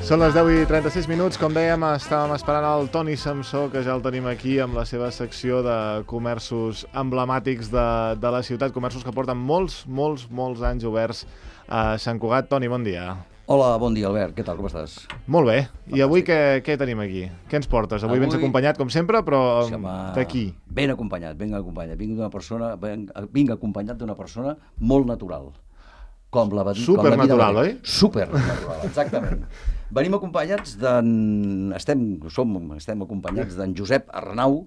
Són les 10:36, com dèiem, estàvem esperant el Toni Samsó, que ja el tenim aquí amb la seva secció de comerços emblemàtics de la ciutat, comerços que porten molts anys oberts a Sant Cugat. Toni, bon dia. Hola, bon dia, Albert. Què tal, com estàs? Molt bé. I avui què tenim aquí? Què ens portes? Avui vens acompanyat, com sempre, però d'aquí. Ben acompanyat. Vinc acompanyat d'una persona molt natural. Supernatural, oi? Supernatural, exactament. Venim acompanyats estem acompanyats d'en Josep Arnau,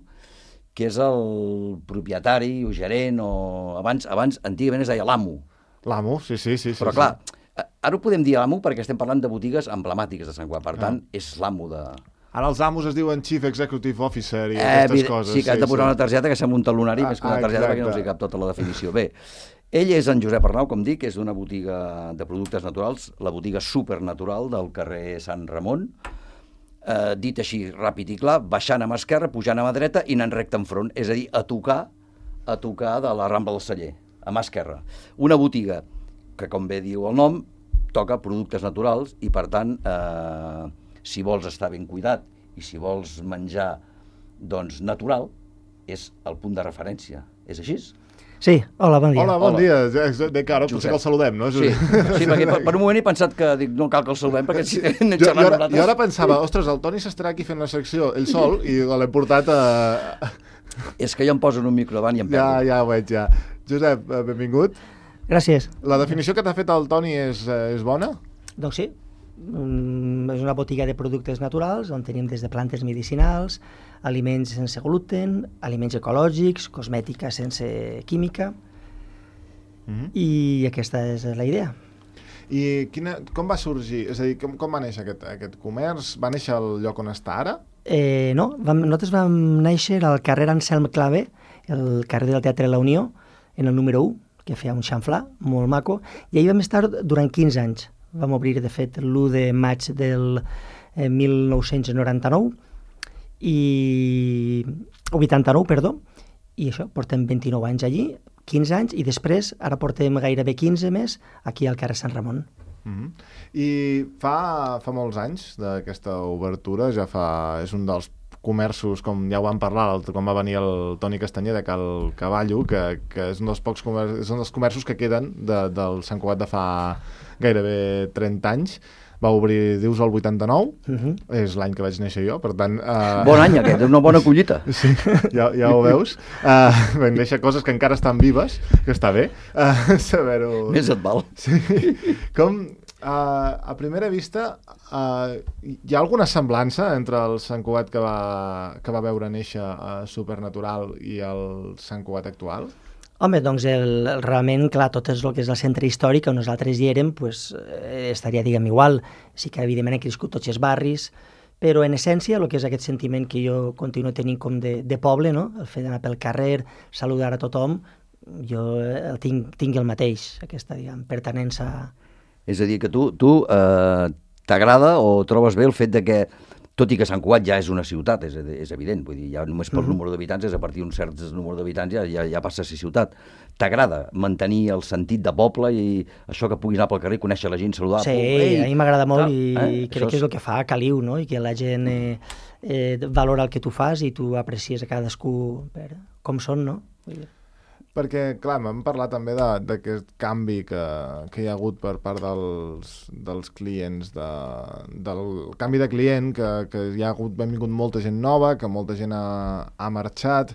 que és el propietari o gerent, o abans antigament es deia l'amo. L'amo, sí. Però clar, ara ho podem dir l'amo perquè estem parlant de botigues emblemàtiques de Sant Cugat, per tant, és l'amo de... Ara els amos es diuen Chief Executive Officer i aquestes coses. Sí, que has de posar una targeta que sembla un talonari més que una targeta perquè no us hi cap tota la definició. Bé, ell és en Josep Arnau, com dic, és d'una botiga de productes naturals, la botiga Supernatural del carrer Sant Ramon, dit així ràpid i clar, baixant a mà esquerra, pujant a mà dreta i anant recte enfront, és a dir, a tocar de la Rambla del Celler, a mà esquerra. Una botiga que, com bé diu el nom, toca productes naturals i, per tant, si vols estar ben cuidat i si vols menjar doncs, natural, és el punt de referència. És així? Sí, hola, bon dia. Hola, bon dia. De cara, potser que el saludem, no? Sí, perquè per un moment he pensat que no cal que el saludem, perquè si anem xerrant nosaltres... Jo ara pensava, ostres, el Toni s'estarà aquí fent la secció ell sol i l'he portat a... És que jo em poso en un micro davant i em perdo. Ja ho veig, ja. Josep, benvingut. Gràcies. La definició que t'ha fet el Toni és bona? Doncs sí. És una botiga de productes naturals on tenim des de plantes medicinals, aliments sense gluten, aliments ecològics, cosmètica sense química, i aquesta és la idea. I com va sorgir? És a dir, com va néixer aquest comerç? Va néixer al lloc on està ara? No, nosaltres vam néixer al carrer Anselm Clavé, el carrer del Teatre La Unió, en el número 1, que feia un xamflà molt maco, i allà vam estar durant 15 anys. Vam obrir, de fet, l'1 de maig del 1999, o 89, perdó, i això, portem 29 anys allí, 15 anys, i després, ara portem gairebé 15 més, aquí al carrer Sant Ramon. I fa molts anys d'aquesta obertura, és un dels comerços, com ja ho vam parlar, quan va venir el Toni Castanyer de Cal Cavallo, que és un dels pocs comerços, és un dels comerços que queden del Sant Cugat de fa gairebé 30 anys. Va obrir, dius, el 89, és l'any que vaig néixer jo, per tant... Bon any aquest, una bona collita. Sí, ja ho veus. Van néixer coses que encara estan vives, que està bé saber-ho. Més et val. Sí. A primera vista, hi ha alguna semblança entre el Sant Cugat que va veure néixer Supernatural i el Sant Cugat actual? Home, doncs realment, clar, tot el que és el centre històric on nosaltres hi érem, pues, estaria, diguem, igual. Sí que, evidentment, han crescut tots els barris, però en essència, el que és aquest sentiment que jo continuo tenint com de poble, no? El fet d'anar pel carrer, saludar a tothom, jo tinc el mateix, aquesta, diguem, pertinença. És a dir, que tu t'agrada o trobes bé el fet de que, tot i que Sant Cugat ja és una ciutat, és evident, vull dir, ja només per número d'habitants, és a partir d'un cert número d'habitants ja passa a ser ciutat. T'agrada mantenir el sentit de poble i això que puguis anar pel carrer, conèixer la gent, saludar... Sí, a mi m'agrada molt i crec que és el que fa caliu, no? I que la gent valora el que tu fas i tu aprecies a cadascú per com són, no? Perquè, clar, m'hem parlat també d'aquest canvi que hi ha hagut per part dels clients, del canvi de client, que hi ha vingut molta gent nova, que molta gent ha marxat.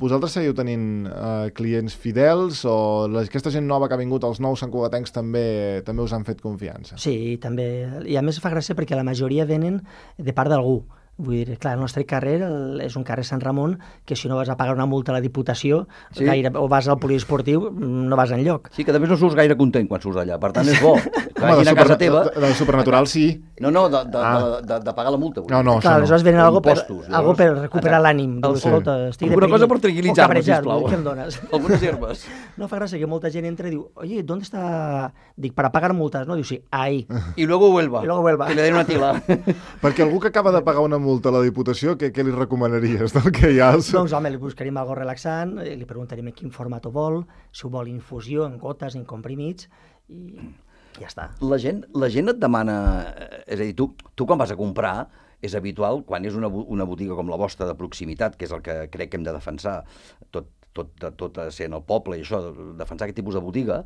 Vosaltres seguiu tenint clients fidels o aquesta gent nova que ha vingut, els nous santcugatencs, també us han fet confiança? Sí, també. I a més fa gràcia perquè la majoria venen de part d'algú. Vull dir, clar, el nostre carrer és un carrer Sant Ramon que si no vas a pagar una multa a la Diputació o vas al poliesportiu, no vas enlloc. Sí, que també no surts gaire content quan surts allà, per tant és bo. Home, a casa teva... De Supernatural sí. No, de pagar la multa. No, clar, aleshores venen algo per recuperar l'ànim. Alguna cosa per tranquil·litzar-me, sisplau. Què em dones? Algunes herbes. No fa gràcia que molta gent entra i diu, oye, ¿dónde está? Dic, para pagar multas, no? Diu, sí, ahí. Y luego vuelva. Que le den una tila. Perquè algú que acaba de pagar una multa a la Diputació, què li recomanaries del que hi ha? Doncs, home, li buscaríem algo relaxant, li preguntaríem en quin format ho vol, si ho vol infusió, en gotes, en comprimits, i... ja està. La gent et demana... És a dir, tu quan vas a comprar, és habitual, quan és una botiga com la vostra de proximitat, que és el que crec que hem de defensar, tot sent el poble i això, defensar aquest tipus de botiga,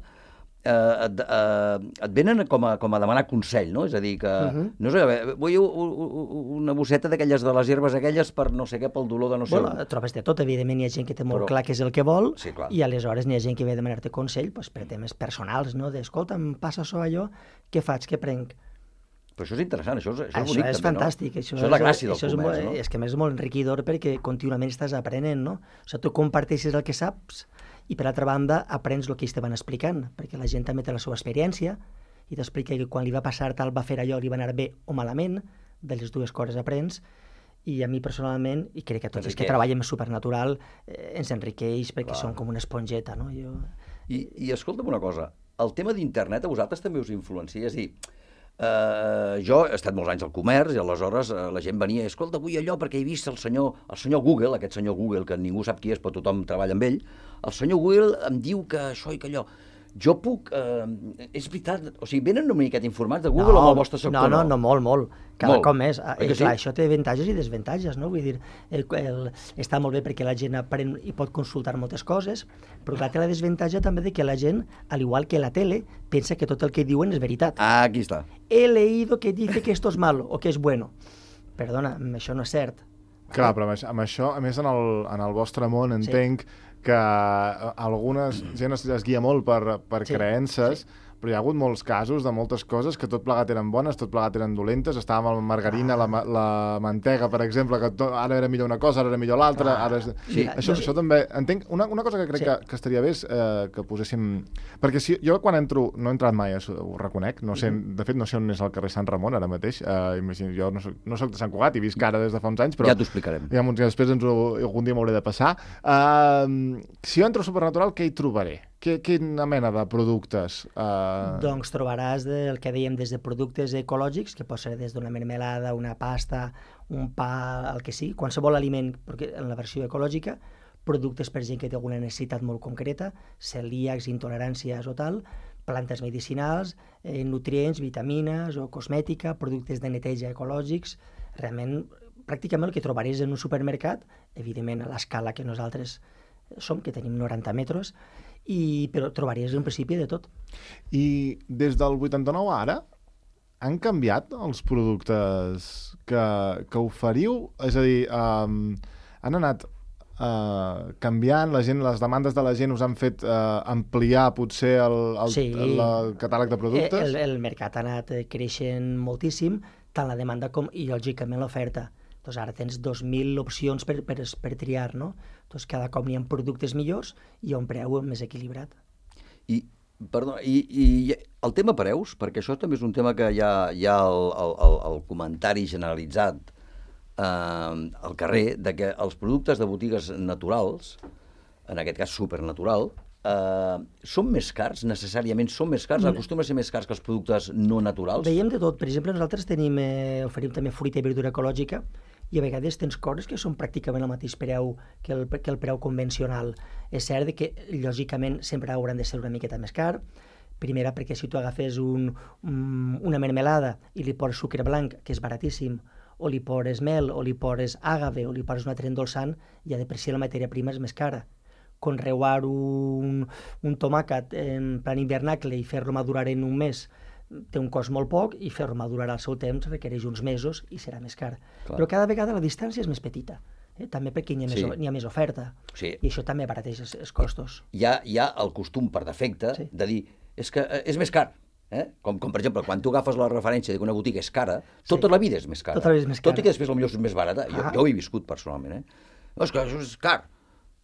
et venen com a demanar consell, no? És a dir, que no sé, vull una bosseta d'aquelles de les herbes aquelles per no sé què, pel dolor de no sé... Bueno, trobes de tot, evidentment hi ha gent que té molt clar què és el que vol, sí, clar. I aleshores n'hi ha gent que ve a demanar-te consell per temes personals, no? Escolta, em passa això, allò, què faig, què prenc? Però això és interessant, això és bonic també, és fantàstic. Això és la gràcia del comerç, no? És que a més és molt enriquidor perquè contínuament estàs aprenent, no? O sigui, tu comparteixes el que saps i, per altra banda, aprens el que ells te van explicant, perquè la gent també té la seva experiència i t'explica que quan li va passar tal va fer allò, li va anar bé o malament, de les dues coses aprens, i a mi personalment, i crec que a tots els que treballem Supernatural, ens enriqueix perquè som com una esponjeta, no? I escolta'm una cosa, el tema d'internet a vosaltres també us influencia, és a dir, jo he estat molts anys al comerç i aleshores la gent venia, escolta, vull allò perquè he vist el senyor Google, aquest senyor Google que ningú sap qui és però tothom treballa amb ell, el senyor Google em diu que això i que allò. Jo puc... és veritat, o sigui, venen una miqueta informats de Google o amb el vostre sector? No, molt. Cada cop més. Sí? Clar, això té avantatges i desavantatges, no? Vull dir, està molt bé perquè la gent aprèn i pot consultar moltes coses, però clar, té la desavantatge també de que la gent, al igual que la tele, pensa que tot el que diuen és veritat. Ah, aquí està. He leído que dice que esto es malo o que es bueno. Perdona, això no és cert. Clar, però amb això, a més en el vostre món, entenc que algunes gent es guia molt per creences, però hi ha hagut molts casos de moltes coses que tot plegat eren bones, tot plegat eren dolentes. Estàvem amb la margarina, la mantega, per exemple, que ara era millor una cosa, ara era millor l'altra. Això també... Entenc, una cosa que crec que estaria bé és que poséssim... Perquè si jo quan entro, no he entrat mai, ho reconec, no sé, de fet no sé on és el carrer Sant Ramon ara mateix, jo no soc de Sant Cugat, he vist cara des de fa uns anys, però... Ja t'ho explicarem. Ja, després algun dia m'hauré de passar. Si jo entro a Supernatural, què hi trobaré? Quina mena de productes? Doncs trobaràs el que dèiem des de productes ecològics, que pot ser des d'una mermelada, una pasta, un pa, el que sigui, qualsevol aliment, perquè en la versió ecològica, productes per gent que té alguna necessitat molt concreta, celíacs, intoleràncies o tal, plantes medicinals, nutrients, vitamines o cosmètica, productes de neteja ecològics, realment pràcticament el que trobaràs en un supermercat, evidentment a l'escala que nosaltres som, que tenim 90 metres, però trobaries un principi de tot. I des del 89 a ara han canviat els productes que oferiu? És a dir, han anat canviant, les demandes de la gent us han fet ampliar potser el catàleg de productes? El mercat ha anat creixent moltíssim, tant la demanda com, i lògicament, l'oferta. Doncs ara tens 2.000 opcions per triar, no? Doncs cada cop n'hi ha productes millors i a un preu més equilibrat. I el tema preus, perquè això també és un tema que hi ha el comentari generalitzat al carrer, de que els productes de botigues naturals, en aquest cas supernatural, són més cars, necessàriament són més cars? Acostuma a ser més cars que els productes no naturals? Veiem de tot. Per exemple, nosaltres oferim també fruita i verdura ecològica i a vegades tens coses que són pràcticament el mateix preu que el preu convencional. És cert que, lògicament, sempre hauran de ser una miqueta més car. Primera, perquè si tu agafes una mermelada i li poses sucre blanc, que és baratíssim, o li poses mel, o li poses àgave, o li poses un altre endolçant, ja de per si la matèria prima és més cara. Conreuar un tomàquet en plan hivernacle i fer-lo madurar en un mes té un cost molt poc i fer-lo madurar al seu temps requereix uns mesos i serà més car. Clar. Però cada vegada la distància és més petita, també perquè n'hi ha més oferta, i això també abarateix els costos. Hi ha el costum per defecte de dir és que és més car. Com per exemple, quan tu agafes la referència de que una botiga és cara, tota la vida és més cara. Tot i que després potser és més barata. Jo ho he viscut personalment. És que això és car.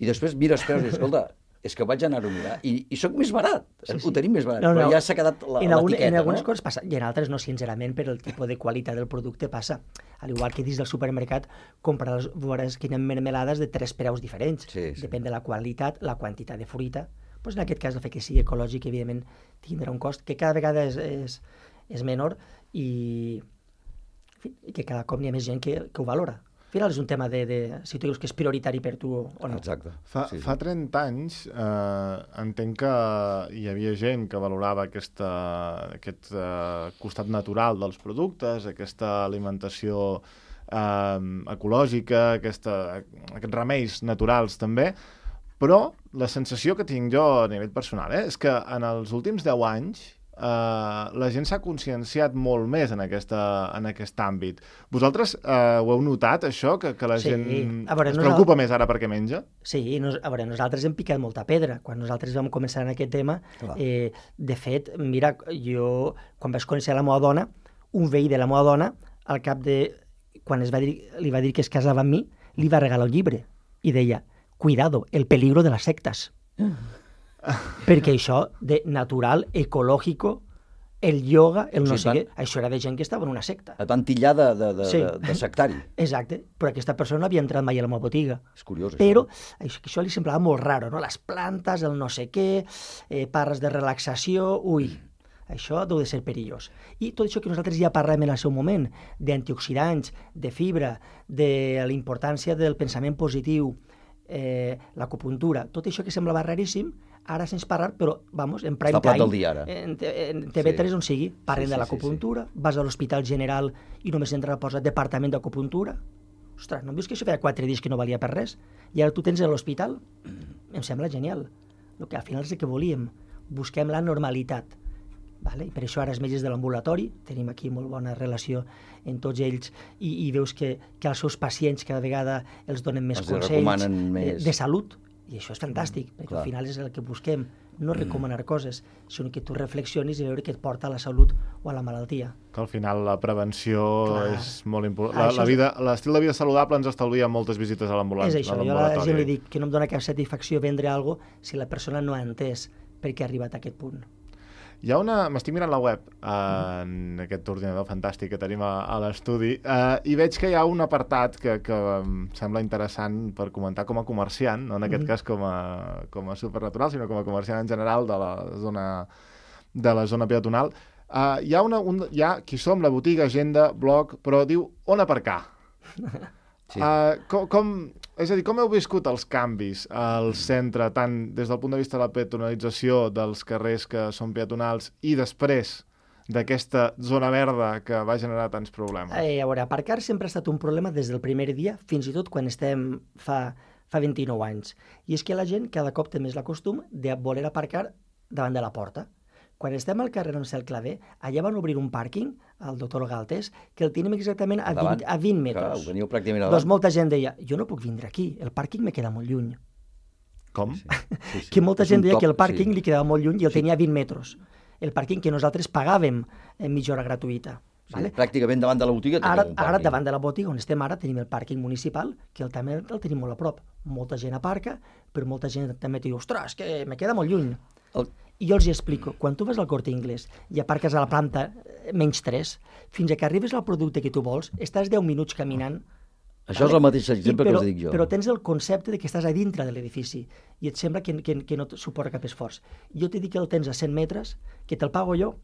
I després mires preus i dius, escolta, és que vaig anar-ho a mirar i soc més barat, ho tenim més barat, però ja s'ha quedat l'etiqueta. En algunes coses passa, i en altres no, sincerament, per el tipus de qualitat del producte passa. Al igual que dins del supermercat, veuràs que hi ha mermelades de 3 preus diferents. Depèn de la qualitat, la quantitat de fruita. En aquest cas, el fet que sigui ecològic, evidentment, tindrà un cost que cada vegada és menor i que cada cop hi ha més gent que ho valora. Al final és un tema de si tu dius que és prioritari per tu o no. Exacte. Fa 30 anys entenc que hi havia gent que valorava aquest costat natural dels productes, aquesta alimentació ecològica, aquests remeis naturals també, però la sensació que tinc jo a nivell personal és que en els últims 10 anys la gent s'ha conscienciat molt més en aquest àmbit. Vosaltres ho heu notat, això, que la gent es preocupa més ara perquè menja? Sí, a veure, nosaltres hem picat molta pedra. Quan nosaltres vam començar en aquest tema, de fet, mira, jo, quan vaig conèixer la meva dona, un veí de la meva dona, al cap de... quan li va dir que es casava amb mi, li va regalar un llibre i deia, cuidado, el peligro de las sectas. Perquè això de natural, ecològico, el yoga, el no sé què, això era de gent que estava en una secta. Et van tillar de sectari. Exacte, però aquesta persona no havia entrat mai a la meva botiga. És curiós, però això li semblava molt raro, no? Les plantes, el no sé què, parles de relaxació, això deu de ser perillós. I tot això que nosaltres ja parlem en el seu moment, d'antioxidants, de fibra, de la importància del pensament positiu, l'acupuntura, tot això que semblava raríssim, ara se'ns parla, però, vamos, en prime time, del dia, ara. En TV3 on sigui, parlen de l'acupuntura, vas a l'Hospital General i només entra a posar departament d'acupuntura. Ostres, no em dius que això feia 4 dies que no valia per res? I ara tu tens a l'hospital? Em sembla genial. El que al final és el que volíem. Busquem la normalitat. Vale? I per això ara els metges de l'ambulatori, tenim aquí molt bona relació amb tots ells i veus que als seus pacients cada vegada els donen més consells de salut, i això és fantàstic, perquè al final és el que busquem, no recomanar coses, sinó que tu reflexionis i veure què et porta a la salut o a la malaltia. Que al final la prevenció és molt important. L'estil de vida saludable ens estalvia moltes visites a l'ambulatori. És això, jo a la gent li dic que no em dona cap satisfacció vendre alguna cosa si la persona no ha entès per què ha arribat a aquest punt. Hi ha m'estic mirant la web en aquest ordinador fantàstic que tenim a l'estudi i veig que hi ha un apartat que em sembla interessant per comentar com a comerciant, no en aquest cas com a supernatural, sinó com a comerciant en general de la zona peatonal. Hi ha qui som, la botiga, agenda, blog, però diu on aparcar. Sí. És a dir, com heu viscut els canvis al centre, tant des del punt de vista de la peatonalització dels carrers que són peatonals i després d'aquesta zona verda que va generar tants problemes? A veure, aparcar sempre ha estat un problema des del primer dia, fins i tot quan estem fa 29 anys. I és que la gent cada cop té més la costum de voler aparcar davant de la porta. Quan estem al carrer Ansel Clavé, allà van obrir un pàrquing, el doctor Galtés, que el tenim exactament a 20 metres. Clar, ho teniu pràcticament davant. Doncs molta gent deia, jo no puc vindre aquí, el pàrquing me queda molt lluny. Com? Sí. Que molta gent deia que el pàrquing li quedava molt lluny i el tenia a 20 metres. El pàrquing que nosaltres pagàvem en mitja hora gratuïta. Sí, vale? Pràcticament davant de la botiga tenim un pàrquing. Ara davant de la botiga on estem ara tenim el pàrquing municipal, que també el tenim molt a prop. Molta gent aparca, però molta gent també diu, ostres, que me queda molt lluny. I jo els explico, quan tu vas al Corte Inglés i aparques a la planta -3, fins que arribes al producte que tu vols, estàs 10 minuts caminant. Això és el mateix exemple que us dic jo. Però tens el concepte de que estàs a dintre de l'edifici i et sembla que no et suporta cap esforç. Jo t'he dit que el tens a 100 metres, que te'l pago jo,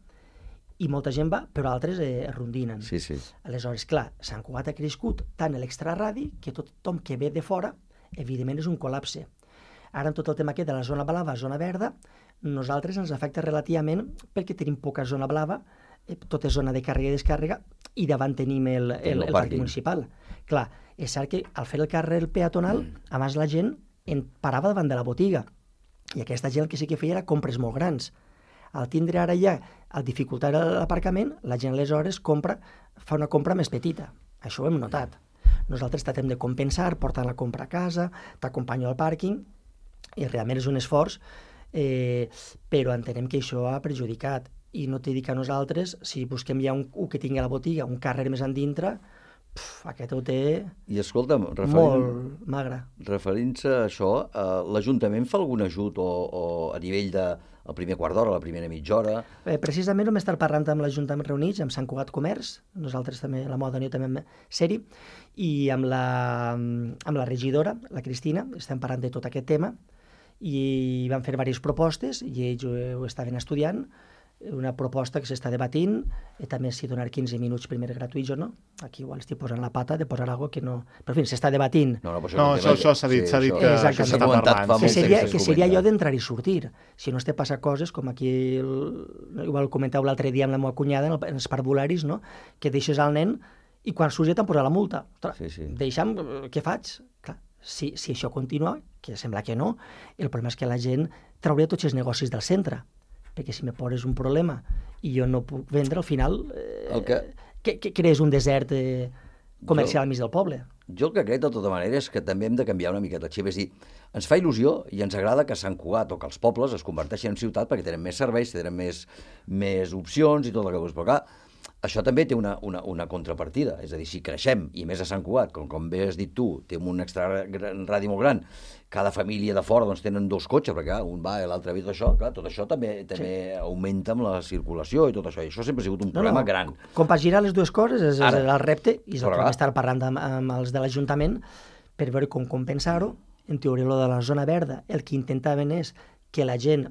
i molta gent va, però altres es rondinen. Sí. Aleshores, clar, Sant Cugat ha crescut tant l'extraradi que tothom que ve de fora, evidentment, és un col·lapse. Ara, en tot el tema aquest de la zona blava, zona verda, nosaltres ens afecta relativament perquè tenim poca zona blava, tot és zona de càrrega i descàrrega, i davant tenim el pàrquing municipal. Clar, és cert que al fer el carrer peatonal, abans la gent parava davant de la botiga, i aquesta gent el que sí que feia era compres molt grans. Al tindre ara ja, al dificultar l'aparcament, la gent aleshores fa una compra més petita. Això ho hem notat. Nosaltres tratem de compensar, portant la compra a casa, t'acompanyo al pàrquing, i realment és un esforç, però entenem que això ha perjudicat. I no t'he dit que nosaltres, si busquem ja un que tingui a la botiga, un carrer més endintre, aquest ho té molt magre. Referint-se a això, l'Ajuntament fa algun ajut o a nivell del primer quart d'hora, la primera mitja hora? Precisament vam estar parlant amb l'Ajuntament reunits, amb Sant Cugat Comerç, nosaltres també, la Moda jo també vam ser-hi, i amb la regidora, la Cristina, estem parlant de tot aquest tema, i van fer diverses propostes i ells ho estaven estudiant una proposta que s'està debatint, també si donar 15 minuts primer gratuïts o no. Aquí igual estic posant la pata de posar alguna cosa que no... Però, en fi, s'està debatint. Això s'ha dit que s'està parlant. Que seria allò d'entrar i sortir. Si no es té passar coses, com aquí igual comenteu l'altre dia amb la meva cunyada en els parvularis, no? Que deixes al nen i quan surts ja t'han posat la multa. Deixa'm, què faig? Clar, si això continua, que sembla que no, el problema és que la gent trauria tots els negocis del centre, perquè si me poses un problema i jo no puc vendre, al final que crees un desert comercial al mig del poble. Jo el que crec, de tota manera, és que també hem de canviar una miqueta el xip. És dir, ens fa il·lusió i ens agrada que Sant Cugat o que els pobles es converteixin en ciutat perquè tenen més serveis, tenen més opcions i tot el que vols. Però clar, això també té una contrapartida. És a dir, si creixem, i més a Sant Cugat, com bé has dit tu, té un extraradi molt gran, cada família de fora doncs, tenen 2 cotxes, perquè un va i l'altre ve, tot això també augmenta amb la circulació i tot això. I això sempre ha sigut un problema gran. Compaginar les dues coses és el repte, i és el que vam estar parlant amb els de l'Ajuntament per veure com compensar-ho. En teoria, lo de la zona verda, el que intentaven és que la gent,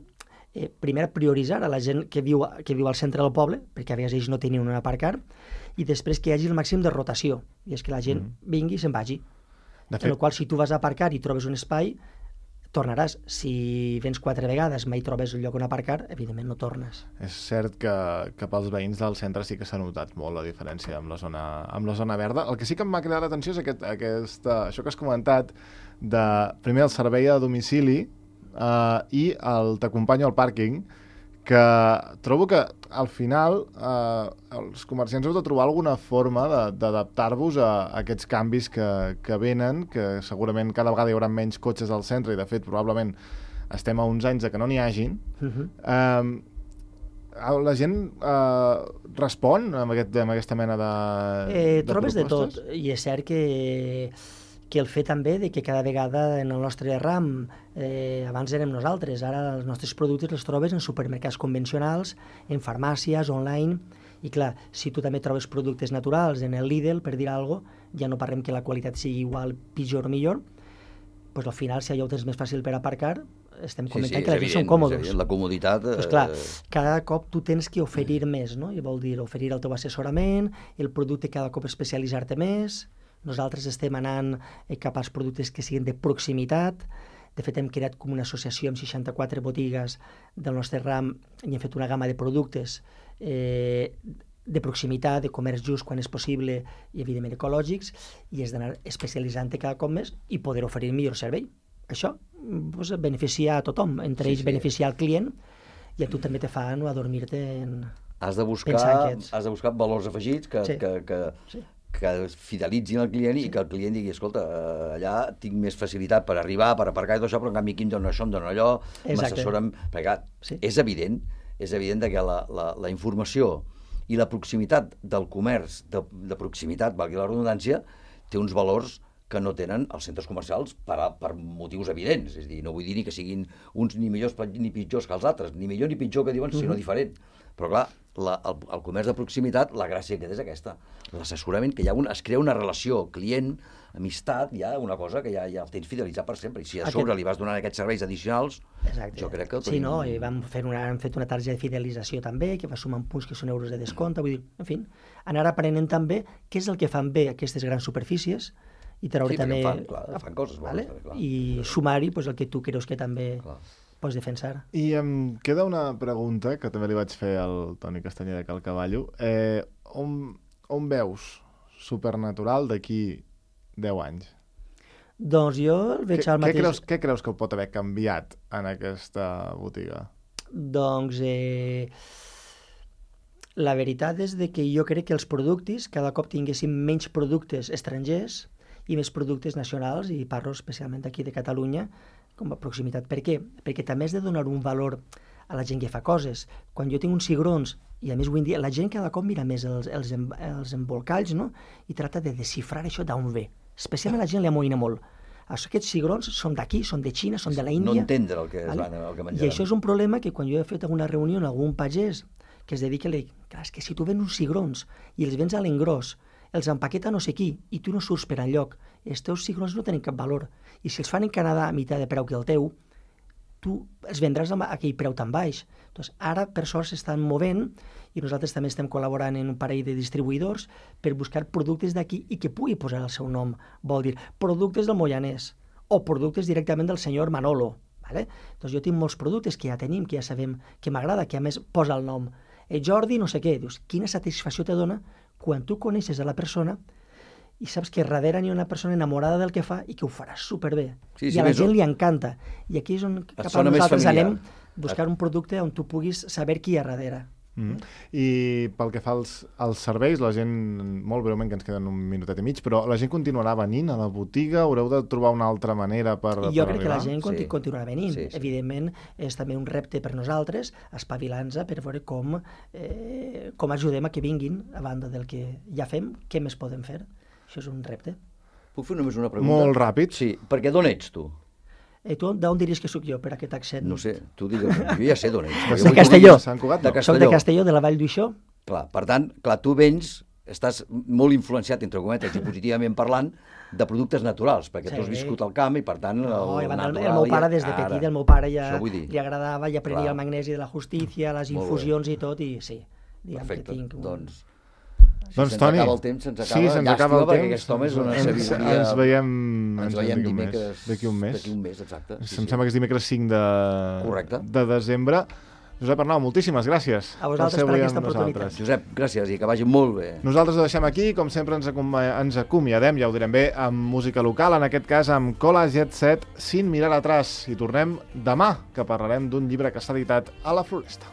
primer prioritzar a la gent que viu al centre del poble, perquè a vegades ells no tenien on aparcar, i després que hi hagi el màxim de rotació, i és que la gent vingui i se'n vagi. En el qual, si tu vas a aparcar i trobes un espai, tornaràs. Si vens 4 vegades, mai trobes un lloc on aparcar, evidentment no tornes. És cert que pels veïns del centre sí que s'ha notat molt la diferència amb la zona verda. El que sí que em va cridar l'atenció és això que has comentat, de primer el servei a domicili i el t'acompanyo al pàrquing, que trobo que al final els comerciants heu de trobar alguna forma d'adaptar-vos a aquests canvis que venen, que segurament cada vegada hi haurà menys cotxes al centre i de fet probablement estem a uns anys de que no n'hi hagin. La gent respon amb aquesta mena de trobes propostes? de tot, i és cert que el fet també de que cada vegada en el nostre ram, abans érem nosaltres, ara els nostres productes els trobes en supermercats convencionals, en farmàcies, online, i clar, si tu també trobes productes naturals en el Lidl, per dir alguna cosa, ja no parlem que la qualitat sigui igual, pitjor o millor, doncs al final, si allò ho tens més fàcil per aparcar, estem comentant que la gent són còmodes. La comoditat... Doncs clar, cada cop tu tens que oferir més, no? I vol dir oferir el teu assessorament, el producte cada cop especialitzar-te més. Nosaltres estem anant cap als productes que siguin de proximitat. De fet, hem creat com una associació amb 64 botigues del nostre ram i hem fet una gamma de productes de proximitat, de comerç just quan és possible i, evidentment, ecològics, i és d'anar especialitzant-te cada cop més i poder oferir millor servei. Això doncs, beneficia a tothom, entre ells beneficia al client, i a tu també te fa no adormir-te en... Has de buscar valors afegits que fidelitzin el client i que el client digui, escolta, allà tinc més facilitat per arribar, per aparcar i tot això, però en canvi aquí em dona això, em dona allò, m'assessoren... Perquè és evident que la informació i la proximitat del comerç de proximitat, valgui la redundància, té uns valors que no tenen els centres comercials per motius evidents. És a dir, no vull dir ni que siguin uns ni millors ni pitjors que els altres, ni millor ni pitjor que diuen, sinó diferent. Però clar, el comerç de proximitat, la gràcia que és aquesta. L'assessorament, que es crea una relació client, amistat, hi ha una cosa que ja el tens fidelitzat per sempre. I si a sobre li vas donant aquests serveis addicionals, jo crec que... Sí, no? I hem fet una targeta de fidelització també, que va sumant punts que són euros de descompte. Vull dir, en fi, anar aprenent també què és el que fan bé aquestes grans superfícies i treure també... fan coses bones. I sumar-hi el que tu creus que també... pots defensar. I em queda una pregunta que també li vaig fer al Toni Castanyer de Cal Cavallo. On veus Supernatural d'aquí 10 anys? Doncs jo el veig al mateix... Què creus que pot haver canviat en aquesta botiga? Doncs la veritat és que jo crec que els productes cada cop tinguessin menys productes estrangers i més productes nacionals, i parlo especialment aquí de Catalunya, com a proximitat. Per què? Perquè també has de donar un valor a la gent que fa coses. Quan jo tinc uns cigrons, i a més avui en dia la gent cada cop mira més els embolcalls, no? I tracta de desxifrar això d'on ve. Especialment la gent li amoïna molt. Aquests cigrons són d'aquí, són de Xina, són de la Índia. No entendre el que menjaran. I això és un problema que quan jo he fet alguna reunió amb algun pagès que es dedica a... Clar, és que si tu vens uns cigrons i els vens a l'engròs, els empaqueta no sé qui, i tu no surts per enlloc, els teus cigrons no tenen cap valor. I si els fan en Canadà a meitat de preu que el teu, tu es vendràs a aquell preu tan baix. Doncs ara, per sort, s'estan movent i nosaltres també estem col·laborant en un parell de distribuïdors per buscar productes d'aquí i que pugui posar el seu nom. Vol dir, productes del Moianès o productes directament del senyor Manolo. Vale? Doncs jo tinc molts productes que ja tenim, que ja sabem que m'agrada, que a més posa el nom. Jordi no sé què. Dius, quina satisfacció te dona quan tu coneixes a la persona i saps que darrere hi ha una persona enamorada del que fa i que ho farà superbé. Sí, I a la gent li encanta. I aquí és on cap a nosaltres anem buscar un producte on tu puguis saber qui hi ha darrere. I pel que fa als serveis, la gent, molt breument, que ens queden un minutet i mig, però la gent continuarà venint a la botiga? Haureu de trobar una altra manera per arribar? Jo crec que la gent continuarà venint. Sí. Evidentment, és també un repte per nosaltres, espavilar-nos per veure com ajudem a que vinguin, a banda del que ja fem, què més podem fer. Això és un repte. Puc fer només una pregunta? Molt ràpid. Sí, perquè d'on ets tu? Tu d'on diries que sóc jo, per aquest accent? No sé, tu digues, jo ja sé d'on ets. De Castelló. Soc de Castelló, de la Vall d'Uixó. Clar, per tant, tu vens, estàs molt influenciat, entre cometes, i positivament parlant, de productes naturals, perquè tu has viscut al camp i, per tant, el meu pare des de petit, el meu pare ja li agradava, ja prenia el magnesi de la justícia, les infusions i tot, i sí, diguem que tinc un... Doncs, Toni, se'ns acaba el temps, perquè aquest home és una sabidoria... Ens veiem dimecres d'aquí un mes. D'aquí un mes, exacte. Em sembla que és dimecres 5 de desembre. Josep Arnau, moltíssimes gràcies. A vosaltres per aquesta oportunitat. Josep, gràcies i que vagi molt bé. Nosaltres ho deixem aquí, com sempre ens acomiadem, ja ho direm bé, amb música local, en aquest cas amb Cola Jet Set, Sin mirar atrás. I tornem demà, que parlarem d'un llibre que s'ha editat a la Floresta.